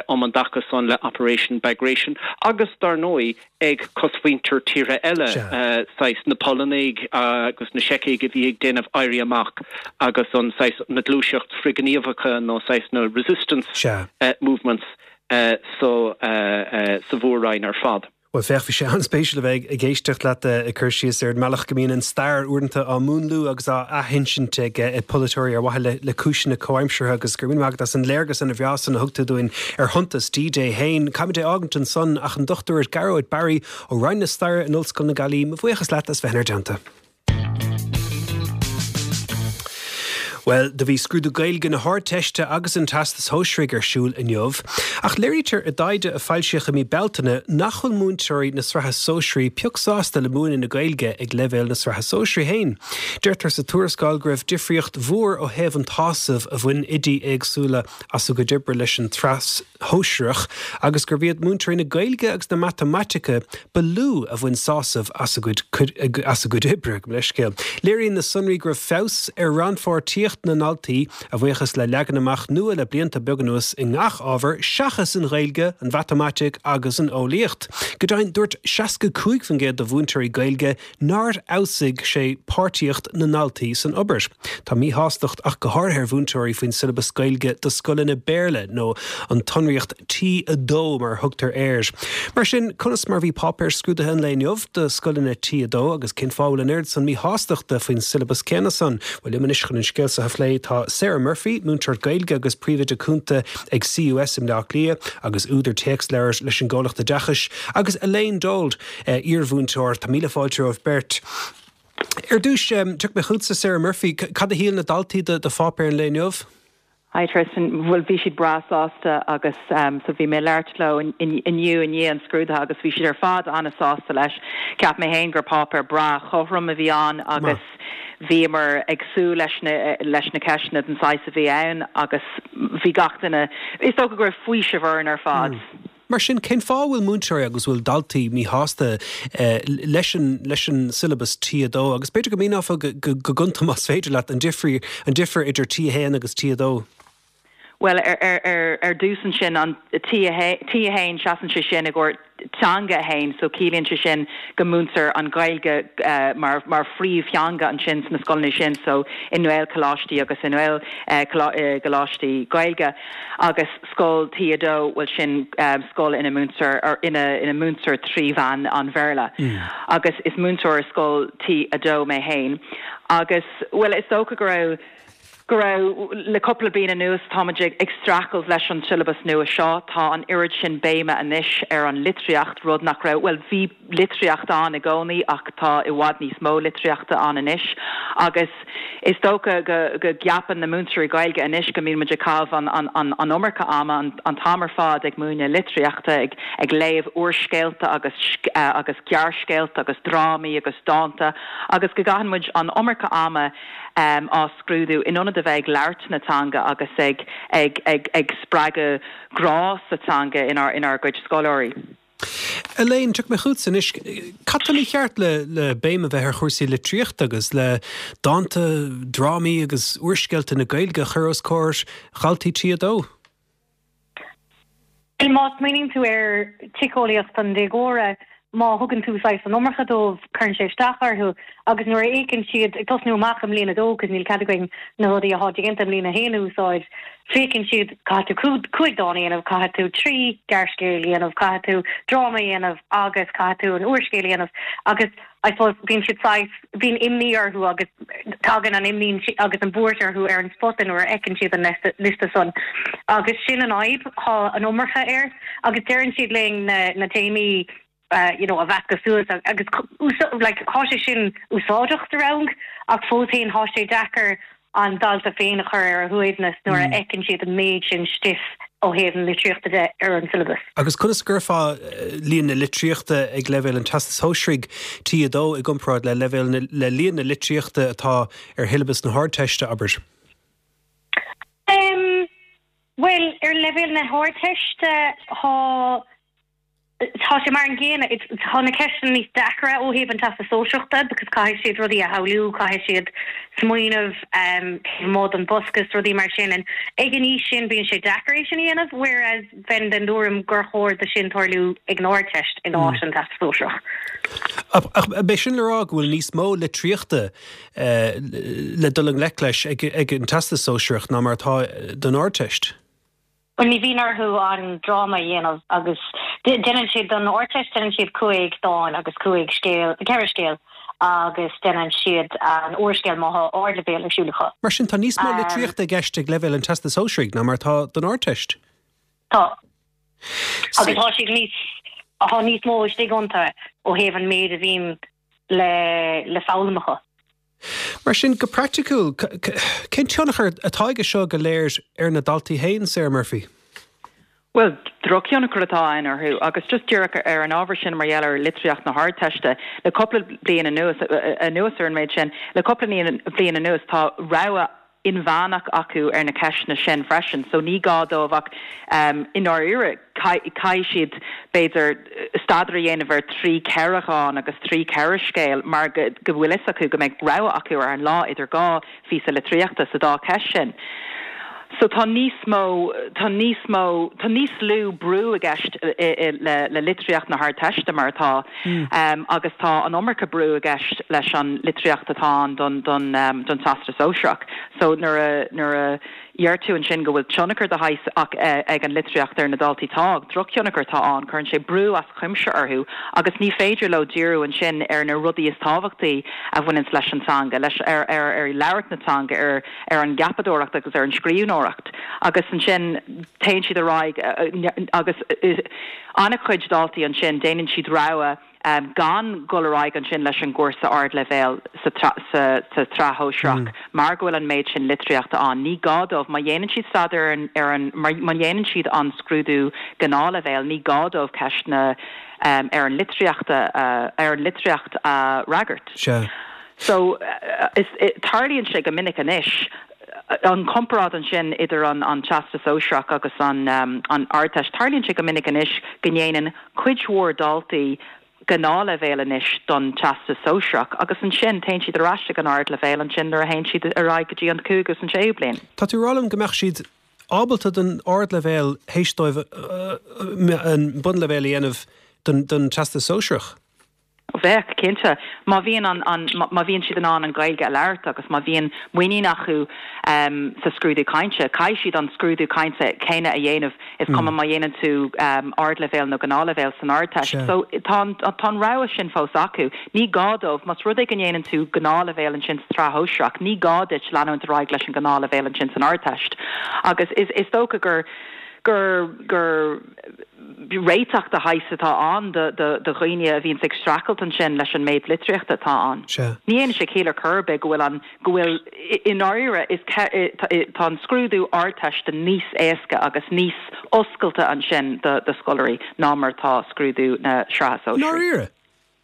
um an dtaca san le Operation Bagration agus, dar ndóigh, ag cosmhuintir tíortha eile, saghas na Polannaigh agus na Seicigh a bhí ag déanamh éirí amach agus an saghas na gluaiseacht frithghníomhacha nó saghas na resistance movements sa mhór-roinn ar fad. Bhuel, féach, bhí sé an-spéisiúil a bheith ag éisteacht leat ag cur síos ar an mbealach go mbíonn an stair uaireanta á múnlú agus á athinsint ag polaiteoirí ar mhaithe le cúiseanna comhaimseartha agus go raibh míle maith agat as an léargas ana-bhreá san a thug tú dúinn ar shuntas D-Day féin. Caithfimid é fhágaint ansan ach an Dochtúir Gearóid Barry ó Roinn na Staire in Ollscoil na Gaillimhe, mo bhuíochas leat as bheith inár dteannta. Bhuel, Bhuel, do bhí scrúdú Gaeilge na hArdteiste agus an Teastais Shóisearaigh ar siúl inniu, ach léirítear i dtaighde a foilsíodh i mí Bealtaine nach bhfuil múinteoirí na sraithe sóisearaí pioc sásta le múineadh na Gaeilge ag leibhéal na sraithe sóisearaí féin. Deirtear sa tuarascáil go raibh difríocht mhór ó thaobh an tsásaimh a bhain oidí éagsúla as a gcuid oibre leis an tsraith shóisearach agus gurbh iad múinteoirí na Gaeilge agus na Matamaitice ba lú a bhain sásamh as a gcuid as a gcuid oibre, gabh mo leithscéal. Léiríonn na sonraí go raibh feabhas ar rannpháirtíocht na ndaltaí a bhuíochas le leagan amach nua le blianta beaga anuas i ngach ábhar seachas an Ghaeilge, an Mhatamaitic agus an Eolaíocht. Go deimhin, dúirt seasca cúig faoin gcéad de mhúinteoirí Gaeilge nár fheabhsaigh sé páirtíocht na ndaltaí san obair. Tá míshástacht ach go háirithe ar mhúinteoirí faoin siollabas Gaeilge do scoileanna Béarla nó an tsonraíocht T a dó mar a thugtar air. Mar sin, conas mar bhí páipéir scrúdaithe an lae inniu do scoileanna T a dó agus cén fáth a bhfuil an oiread san míshástachta faoin siollabas céanna san? Bhuel, liom anois chun an scéal seo a phlé tá Sarah Murphy, múinteoir Gaeilge agus príomhoide cúnta ag C U S i mBleá Cliath agus údar téacsleabhar leis an gcomhlacht oideachais, agus Elaine Dold, iarmhúinteoir. Tá míle fáilte romhaibh beirt. Ar dtús, tiocfaidh mé chugatsa, Sarah Murphy, cad a shíl na daltaí de pháipéar an lae inniu? Hi Tristan, bhuel bhí siad breá sásta agus um, so bhí mé ag labhairt leo inniu i ndiaidh an scrúdaithe agus bhí siad ar fad an-sásta leis. Ceap mé féin gur páipéar breá cothrom a bhí ann agus bhíomar ag súil leis na leis na ceisteanna den saghas a bhí ann agus bhí gach duine is dócha go raibh faoiseamh orainn ar fad. Mm. Mar sin, cén fáth bhfuil múinteoirí agus bhfuil daltaí míshásta leis an leis an siollabas T a dó agus b'fhéidir go míneofá go gonta más féidir leat an difríocht an difear idir T a haon agus T a dó? Well ar ar ar ar dtús ansin an T a haon seasann sé sin i gcomhair teanga a haon, so ciallaíonn sé sin go múintear an Ghaeilge uh, mar mar phríomhtheanga ansin sna scoileanna sin so i nGaelcholáistí agus i nGaelcholáistí uh, Gaeilge agus scoil T a dó bhuel sin um, scoil ina múintear or ina ina múintear trí mheán an Bhéarla. Mm. Agus is múinteoir scoil T a dó mé féin. Agus well is dócha go raibh go raibh le cúpla bliain anuas táimid ag streachailt leis an siollabas nua seo tá an oiread sin béime anois ar an litríocht rud nach raibh well bhí litríocht ann i gcónaí ach tá i bhfad níos mó litríochta ann anois agus is dócha go go gceapann na múinteoirí Gaeilge anois go mbíonn muid ag caitheamh an, an, an, an iomarca ama an, an t-am ar fad ag múineadh litríochta ag, ag léamh úrscéalta agus uh, agus gearrscéalta agus drámaí agus dánta agus go gcaitheann muid an iomarca ama um, á scrúdú in ionad a bheith ag labhairt na teanga agus ag ag ag ag spreagadh grá sa teanga inár inár gcuid scoláirí. Elaine, tiocfaidh mé chugatsa anois, cad tá mícheart le le béim a bheith ar chúrsaí litríochta agus le dánta, drámaí agus úrscéalta na Gaeilge a chur os comhair dhaltaí T a dó? Má smaoiníonn tú ar shíceolaíocht an déagóra, má thugann tú saghas an iomarca dóibh cuireann sé isteach orthu agus nuair a fheiceann siad ag tosnú amach i mbliain a dó cos níl cead againn na rudaí atá déanta i mbliain a haon a úsáid féiceann siad caithfidh tú cúig dán a dhéanamh caithfidh tú trí gearrscéal a dhéanamh caithfidh tú dráma a dhéanamh agus caithfidh tú an úrscéal a dhéanamh agus I suppose bíonn siad saghas bíonn imní orthu agus tagann an imní agus an bhuairt orthu ar an spota nuair a fheiceann siad an liosta san agus sin an fhadhb tá an iomarca air agus deireann siad linn na na téamaí uh, you know, a mheascadh suas agus like, tá sé sin úsáideach sa rang ach fós féin tá sé deacair an dalta féin a chur ar a shuaimhneas nuair a mm. fheiceann siad an méid sin stuif ó thaobh an litríochta de ar an syllabus. Agus conas a chuirfeá eh, líon na litríochta ag leibhéal an Teastais Shóisearaigh T a dó i gcomparáid le leibhéal le líon na litríochta atá ar shiollabas na hArdteiste abair. Um, well ar leibhéal na hArdteiste tá tá sé mar an gcéanna tá na ceisteanna níos deacra ó thaobh an Teastas Sóisearach because caithfidh siad rudaí a shamhlú caithfidh siad smaoineamh um, mod an boscas rudaí mar sin an ag an aois sin bíonn sé deacair é sin a dhéanamh whereas bheinn den tuairim gur chóir do sin tarlú ag an Ardteist in áit an Teastas Sóisearach. Ach b'é sin le rá go bhfuil níos mó litríochta eh, le dul i ngleic leis ag, ag an Teastas Sóisearach ná mar atá don Ardteist. Well ní bhíonn orthu an dráma a dhéanamh agus déanann siad don Ardteist déanann siad cúig dán agus cúig scéal ceithre scéal agus déanann siad an úrscéal má tá ardleibhéal ar siúl acu. Mar sin tá níos mó litríochta i gceist ag leibhéal an Teastas Sóisearaigh ná mar atá don Ardteist. Tá. Agus tá siad níos tá níos mó istigh iontu ó thaobh an méid a bhíonn le le foghlaim acu. Mar sin go praiticiúil, cén tionchar atá aige seo go léir ar na daltaí féin, Sarah Murphy? Well, drochthionchar atá ann orthu agus just díreach ar an ábhar sin mar gheall ar litríocht na hArdteiste le cúpla bliain anuas anuas ar an méid sin, le cúpla bliain anuas tá rogha inmheánach acu ar na ceisteanna sin freisin, so ní gá dóibh ach um, i ndáiríre caithfidh siad b'fhéidir staidéar a dhéanamh ar trí ceithre dhán agus trí ceithre scéal mar go go bhfuil fhios acu go mbeidh rogha acu ar an lá idir dhá phíosa litríochta sa dá cheist sin. So tá níos mó tá níos mó tá níos lú brú i gceist le le litríocht na hArdteiste mar atá mm. um, agus tá an iomarca brú i gceist leis an litríocht atá ann don don um, don Teastas Sóisearach. So nuair a nuair a deir tú ansin go bhfuil tionchar de shaghas ach eh, ag an litríocht ar na daltaí tá drochthionchar atá ann cuireann sé brú as cuimse orthu agus ní féidir leo díriú ansin ar na rudaí is tábhachtaí a bhaineann leis an teanga leis ar ar ar labhairt na teanga ar ar an gceapadóireacht agus ar an scríbhneoireacht agus ansin téann siad ar aghaidh eh, agus eh, an-chuid daltaí ansin déanann siad rogha um, gan dul ar aghaidh ansin leis an gcúrsa ardleibhéal sa sa sa tsraith shóisearach mm. mar go bhfuil an méid sin litríochta ann. Ní gá dóibh má dhéanann siad staidéar ar, ar an má dhéanann siad an scrúdú gnáthleibhéal, ní gá dóibh ceisteanna um, ar an litríochta uh, ar an litríocht a uh, fhreagairt. Sure. So uh, is tarlaíonn sé go minic anois an comparáid ansin idir an an Teastas Sóisearach agus an um, an Ardteist tarlaíonn sé go minic anois go ndéanann cuid mhór daltaí gnáthleibhéal anois don Teastas Sóisearach agus ansin téann siad ar ais ag an ardleibhéal ansin nuair a théann siad ar aghaidh go dtí an cúigiú agus an séú bliain. Tá tú ag rá liom go mbeadh siad ábalta don ardleibhéal théis dóibh an bunleibhéal a dhéanamh don don Teastas Sóisearach. Bheadh cinnte má bhíonn an, an má bhíonn siad in ann an Ghaeilge a labhairt agus má bhíonn muinín acu um, sa scrúdú cainte, caithfidh siad an scrúdú cainte céanna a dhéanamh is mm. cuma má dhéanann tú um, ardleibhéal nó gnáthleibhéal san Ardteist. Sure. So tá tá an rogha sin fós acu. Ní gá dóibh más rud é go ndéanann tú gnáthleibhéal ansin sa tsraith shóisearach, ní gá duit leanúint ar aghaidh leis an gnáthleibhéal ansin san Ardteist. Agus is, is dócha gur gur gur réiteach de shaghas atá ann do do dhaoine a bhíonn ag streachailt ansin leis an méid litríochta atá ann. Ní dhéanann sé ciall ar chor ar bith go bhfuil an go bhfuil i ndáiríre is tá an scrúdú Ardteiste níos éasca agus níos oscailte ansin do do scoláirí ná mar tá scrúdú na sraithe sóisearaí. Ndáiríre?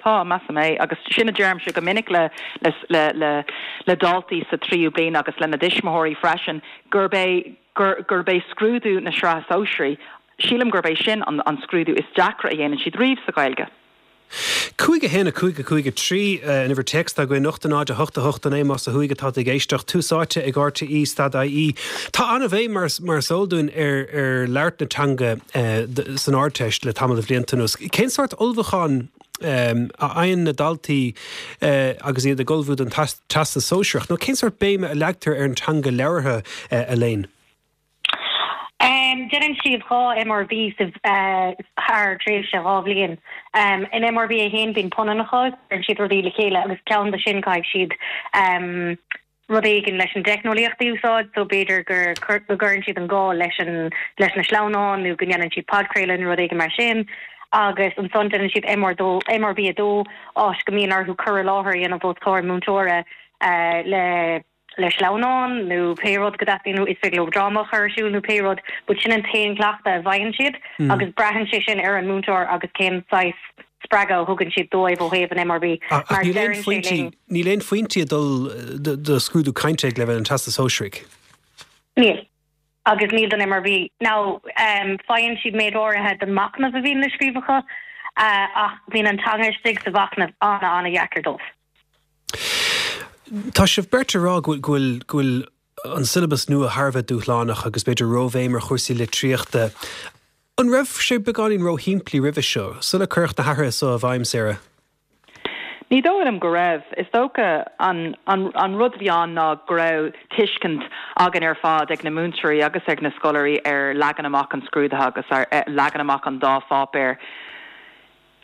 Tá measaim é agus sin a deirimse go minic le le le le le daltaí sa tríú bliain agus lena dtuismitheoirí freisin gurb é gur gurb é scrúdú na sraithe sóisearaí sílim gurb é sin an, an scrúdú is deacra a dhéanann siad riamh sa Ghaeilge. Cúig a haon a cúig a cúig a trí an uimhir téacs atá againn ocht a náid a hocht a hocht a naoi más ó thuaidh atá tú ag éisteacht Tús Áite ag RTÉ stad IE. Tá an-bhéim mar mar is eol dúinn ar ar labhairt na teanga uh, san Ardteist le tamall de bhlianta anuas. Cén sórt ullmhúchán um, a fhaigheann na daltaí uh, agus iad ag ullmhú don Teastas Sóisearach, nó cén sórt béime a leagtar ar an teanga labhartha uh, Elaine? Um, Déanann siad dhá MRB sa uh, thar tréimhse dhá bhliain. Um, in MRB a haon bíonn punannacha cuireann siad rudaí le chéile agus ceann de sin caithfidh siad um, rud éigin leis an teicneolaíocht a úsáid, so b'fhéidir gur go gcuireann siad an gá leis an leis na sleamhnáin nó go ndéanann siad podchraoladh nó rud éigin mar sin. agus ansan déanann siad MR dó MRB a dó áit go mbíonn orthu cur i láthair a dhéanamh os comhair múinteora uh, le le sleamhnán nó pé rud go dteastaíonn nó is féidir leo dráma a chur ar siúl nó pé rud, but sin an t-aon cleachtadh a bhfaigheann siad mm. agus braitheann sé sin ar an múinteoir agus cén saghas spreagadh a thugann siad dóibh ó thaobh an MRB. Mar níl aon phointí níl aon phointí ag dul do scrúdú cainte ag leibhéal an Teastais Shóisearaigh. Níl. Agus níl don MRB. Now um, faigheann siad méid áirithe den machnamh a bhíonn le scríobh acu uh, ach bíonn an teanga istigh sa mhachnamh an- an-dheacair dóibh. Tá sibh beirt ag rá go bhfuil go bhfuil an siollabas nua thar a bheith dúshlánach agus b'fhéidir róbhéim ar chúrsaí litríochta. An raibh sé beagáinín róshimplí roimhe seo, sula cuireadh na hathruithe seo i bhfeidhm Sarah? Ní dóigh liom go raibh is dócha an, an, an rud a bhí ann ná go raibh tuiscint againn ar fad ag na múinteoirí agus ag na scoláirí ar leagan amach an scrúdaithe agus ar eh, leagan amach an dá pháipéar.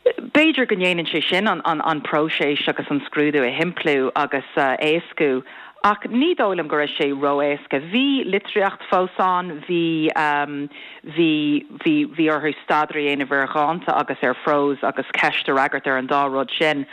B'fhéidir go ndéanann sé sin an, an, an próiseas agus an scrúdú a shimpliú agus uh, éascú. Ach ní dóigh liom go raibh sé ró-éasca. Bhí litríocht fós ann, bhí um, bhí bhí bhí orthu staidéar a dhéanamh ar dhánta agus ar phrós agus ceist a fhreagairt ar an dá rud sin.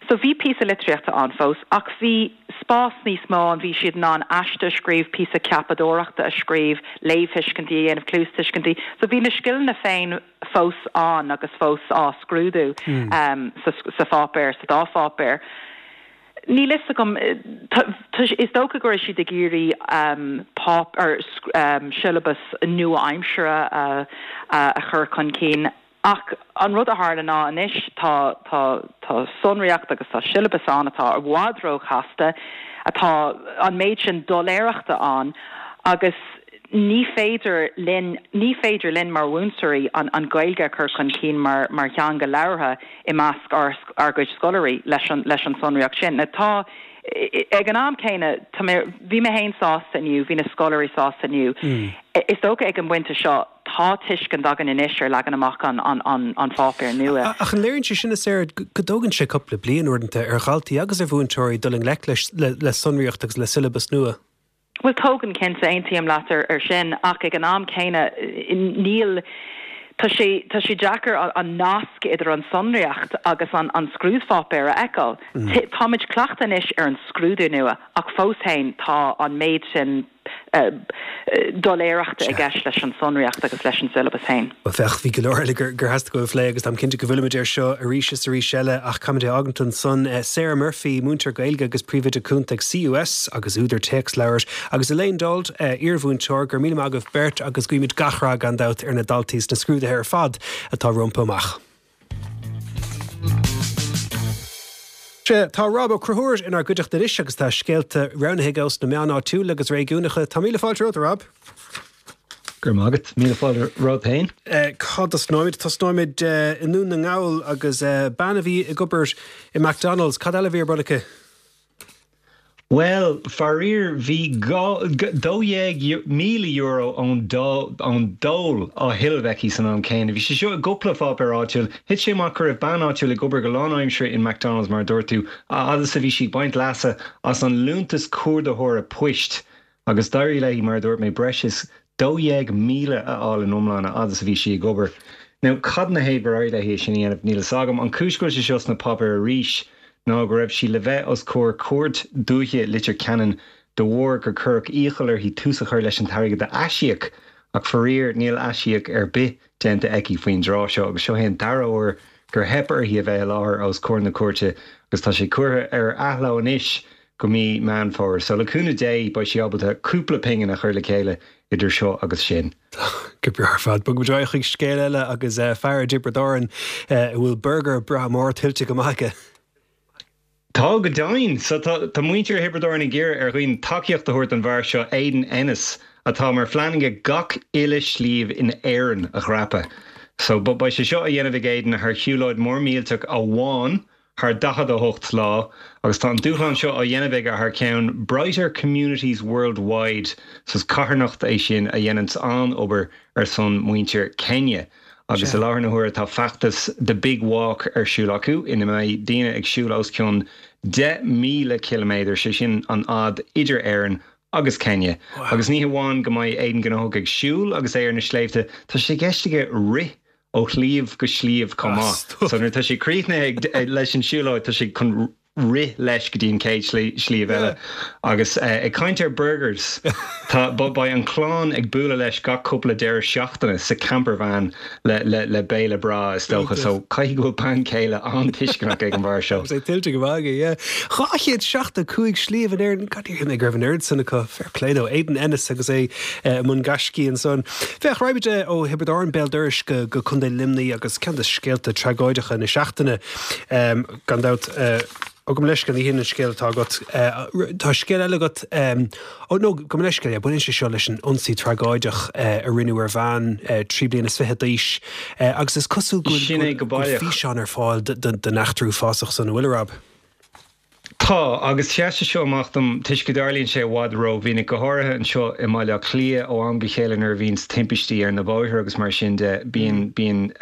So bhí píosa litríochta ann fós, ach bhí spás níos mó ann bhí siad in ann aiste a scríobh píosa ceapadóireachta a scríobh, léamhthuiscintí a dhéanamh cluastuiscintí. So bhí na scileanna féin fós ann agus fós á scrúdú mm. um, sa, sa pháipéar sa dá pháipéar. Níl a fhios agam is dócha go raibh siad ag iarraidh um, pop ar um, siollabas nua-aimseartha uh, uh, a chur chun cinn Ach an rud a tharla ná anois tá tá tá sonraíocht agus tá siollabas ann atá i bhfad róchasta atá an méid sin doiléireachta ann agus ní féidir linn ní féidir linn mar mhúinteoirí an an Ghaeilge a chur chun cinn mar mar theanga labhartha i measc ár ár gcuid scoláirí leis an leis an sonraíocht sin. Na tá ag an am céanna bhí mé féin sásta inniu, bhí na scoláirí sásta inniu. Mm. Is dócha ag an bpointe seo tá tuiscint againn anois ar leagan amach an an an an pháipéir nua. Ach an léiríonn sé sin is éard go dtógann sé cúpla bliain uaireanta ar dhaltaí agus ar mhúinteoirí dul i ngleic le, le sonraíocht agus le siollabas nua. Well tógann cinnte aontaím leat ar ar sin ach ag an am céanna níl Tá sé tá sé deacair an nasc idir an sonraíocht agus an an scrúdpháipéar a fheiceáil. Mm. Táimid cleachta anois ar an scrúdú nua ach fós féin tá an méid sin uh, doiléireachta i gceist leis an sonraíocht agus leis an siollabas féin. Well féach bhí go leor eile gur gur theastaigh go phlé agus táim cinnte go bhfillfimid air seo arís is arís eile ach caithfimid é fhágaint ansan uh, Sarah Murphy múinteoir Gaeilge agus príomhoide cúnta ag CUS agus údar téacsleabhar agus Elaine Dold uh, iarmhúinteoir go raibh míle maith agaibh beirt agus guímid gach rath gan dabht ar na daltaí sna scrúduithe ar fad atá rompu amach. Tá Rob Ó Conchúir inár gcuideachta anois agus tá scéalta roghnaithe aige ós na meáin áitiúla agus réigiúnacha Tá míle fáilte romhat Rob. Gur mágad míle fáilte romhat féin? Cá dtosnóimid tosnóimid i nDún na nGall agus bean a bhí ag obair i McDonald's, cad eile a bhí ar bun aici? Well, faraor bhí dó dhéag míle euro ón dól á thuilleamh aici san am céanna. Bhí sé seo i gcúpla páipéar áitiúil, Thit sé amach go raibh bean áitiúil ag obair go lánaimseartha in McDonald's mar a dúirt tú, a fhad is a bhí sí ag baint leasa as an liúntas cuardaitheora poist agus d'éirigh léi mar a dúirt mé breis is dó dhéag míle a fháil in iomlán a fhad is a bhí sí ag obair. Now cad ina thaobh gur éirigh léi é sin a dhéanamh níl a fhios agam. An cúis go bhfuil sé seo sna páipéir arís ná go raibh sí le bheith os comhair Cúirt Dúiche Leitir Ceanainn de bharr gur cuireadh iachall uirthi tús a chur leis an t-airgead a aisíoc ach faraor níl aisíoc ar bith déanta aici faoin dtráth seo agus seo é an dara huair gur theip uirthi a bheith i láthair os comhair na cúirte agus tá sé curtha ar athló anois go mí Meán Fómhair. So le cúnamh Dé beidh sí ábalta cúpla pingin a chur le chéile idir seo agus sin. Go breá ar fad bogfaimid ar aghaidh chuig scéal eile agus eh, fear i dTiobraid Árann eh, a bhfuil burgar breá mór tuillte go maith aige. Tá go deimhin, so tá tá muintir Thiobraid Árann ag iarraidh ar dhaoine tacaíocht a thabhairt don bhfear seo Aidan Ennis atá mar phlean aige gach uile sliabh in Éirinn a dhreapadh. So beidh sé seo á dhéanamh ag Aidan thar shiúlóid mór millteach amháin thar daichead a hocht lá agus tá an dúshlán seo á dhéanamh aige thar ceann Brighter Communities Worldwide so is carthanacht é sin a dhéananns an-obair ar son muintir Kenya. Agus i láthair na huaire tá feachtas The Big Walk ar siúl acu ina mbeidh daoine ag siúl os cionn deich míle ciliméadar, sé sin an fhad idir Éirinn agus Kenya. Agus ní hamháin go mbeidh Aidan gnóthach ag siúl agus é ar na sléibhte, tá sé i gceist aige rith ó shliabh go sliabh chomh maith. So nuair atá sé críochnaithe leis an siúlóid tá sé chun rith leis go dtí an chéad sliabh eile. Agus ag caint ar burgers, tá beidh an chlann ag bualadh leis gach cúpla deireadh seachtaine sa campervan le le le béile breá is dócha. So caithfidh go bhfuil bean chéile an-tuisceanach ag an bhfear seo. Sé tuillte go maith aige, yeah. Dhá chéad seachtó cúig sliabh in Éirinn, God, níor shíl mé go raibh an oiread san acu. Fair play dó. Aidan Ennis agus é i mbun gaiscí ansan. Féach, raghaimid ó Thiobraid Árann béal dorais go go Contae Luimnigh agus ceann de scéalta tragóideacha na seachtaine gan dabht. Ó gabh mo leithscéal ní hin an scéal atá agat. Tá scéal eile agat, ó nó gabh mo leithscéal, yeah, baineann sé seo leis an ionsaí tragóideach a rinneadh ar bhean trí bliana is fiche d'aois agus is cosúil go Sin é go bhfuil baileach. físeán ar fáil den eachtra uafásach san, an bhfuil, a Rob? Tá, agus sheas sé seo amach dom toisc go dtarlaíonn sé i bhfad rómhinic, go háirithe anseo i mBaile Átha Cliath ó am go chéile nuair a bhíonns timpistí ar na bóithre agus mar sin de, bíonn, bíonn,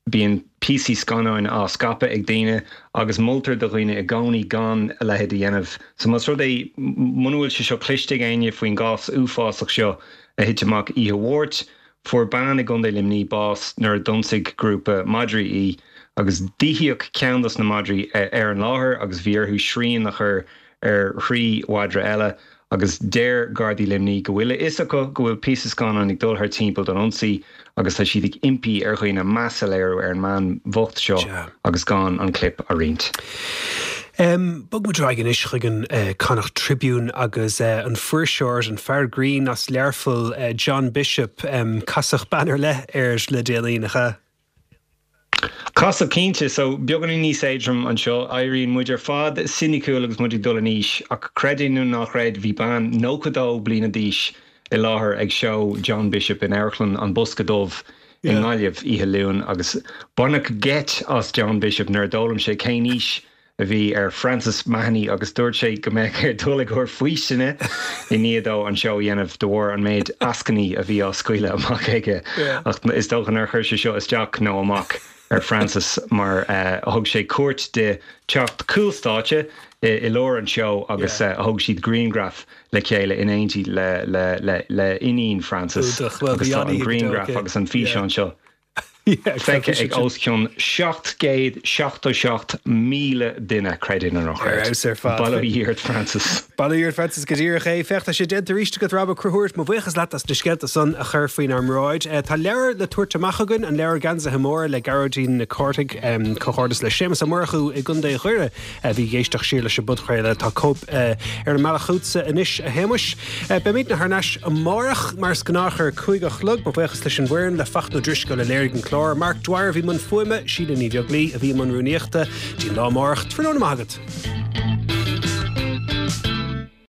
bíonn píosaí scannáin á scaipeadh ag daoine agus moltar do dhaoine i gcónaí gan a leithéid a dhéanamh. So más rud é, muna bhfuil sé seo cloiste ag éinne faoin gcás uafásach seo a thit amach oíche Mháirt, fuair bean i gContae Luimnigh bás nuair a d'ionsaigh grúpa madraí í agus díothaíodh ceann dos na madraí ar an láthair agus bhí orthu srian a chur ar thrí mhadra eile agus deir Gardaí Luimnigh go bhfuil a fhios acu go bhfuil píosa scannáin ag dul thar timpeall don ionsaí agus tá siad ag impí ar dhaoine meas a léiriú ar an mbean bhocht seo agus gan an clip a roinnt. Bog muid ar aghaidh anois chuig an Connacht Tribune agus an fuirseoir, an fear grinn as Learpholl, John Bishop, casadh bean ar leith air le déanaí, nach ea? Casadh cinnte, so beagáinín níos éadrom anseo, éiríonn muid ar fad soiniciúil agus muid ag dul in aois, ach creid é nó ná creid, bhí bean nócha dó bliana d'aois i láthair ag seó John Bishop in Amharclann an Bosca Dubh i nGaillimh oíche Luain agus baineadh geit as John Bishop nuair a d'fhoghlaim sé cén aois a bhí ar Frances Mahony agus dúirt sé go mbeadh air dul i gcomhair faoistine i ndiaidh dó an seó a dhéanamh de bharr an méid eascainí a bhí á scaoileadh amach aige. Ach is dócha nár chuir sé seo isteach nó amach ar Frances mar thug sé cuairt di teacht cúl stáitse i lár an tseó agus thóg siad grianghraf le chéile in éindí le iníon Frances agus tá an grianghraf agus an físeán seo feicthe ag os cionn seacht gcéad seachtó seacht míle duine, creid é nó ná creid. Bail ó Dhia ort Frances. Bail ó Dhia ort Frances go díreach é. Féach, tá sé déanta arís agat Rob Ó Conchúir, mo bhuíochas leat as na scéalta san a chur faoinár mbráid. Tá leabhar le tabhairt amach againn, an leabhar Geansaithe Móra le Gearóidín Nic Cárthaigh, comhghairdeas le Séamus Ó Murchú i gContae Dhoire a bhí ag éisteacht siar leis an bpodchraoladh. Tá cóip ar an mbealach chugatsa anois a Shéamuis. Beimidne thar n-ais amárach mar is gnách ar a cúig a chlog. Mo bhuíochas leis an bhfoireann, le Fachtna Ó Drisceoil a léirigh an clár, Mark Dwyer a bhí i mbun fuaime, Síle Ní Bheaglaoi a bhí i mbun rúnaíochta. Dtí an lá amárach, tráthnóna maith agat.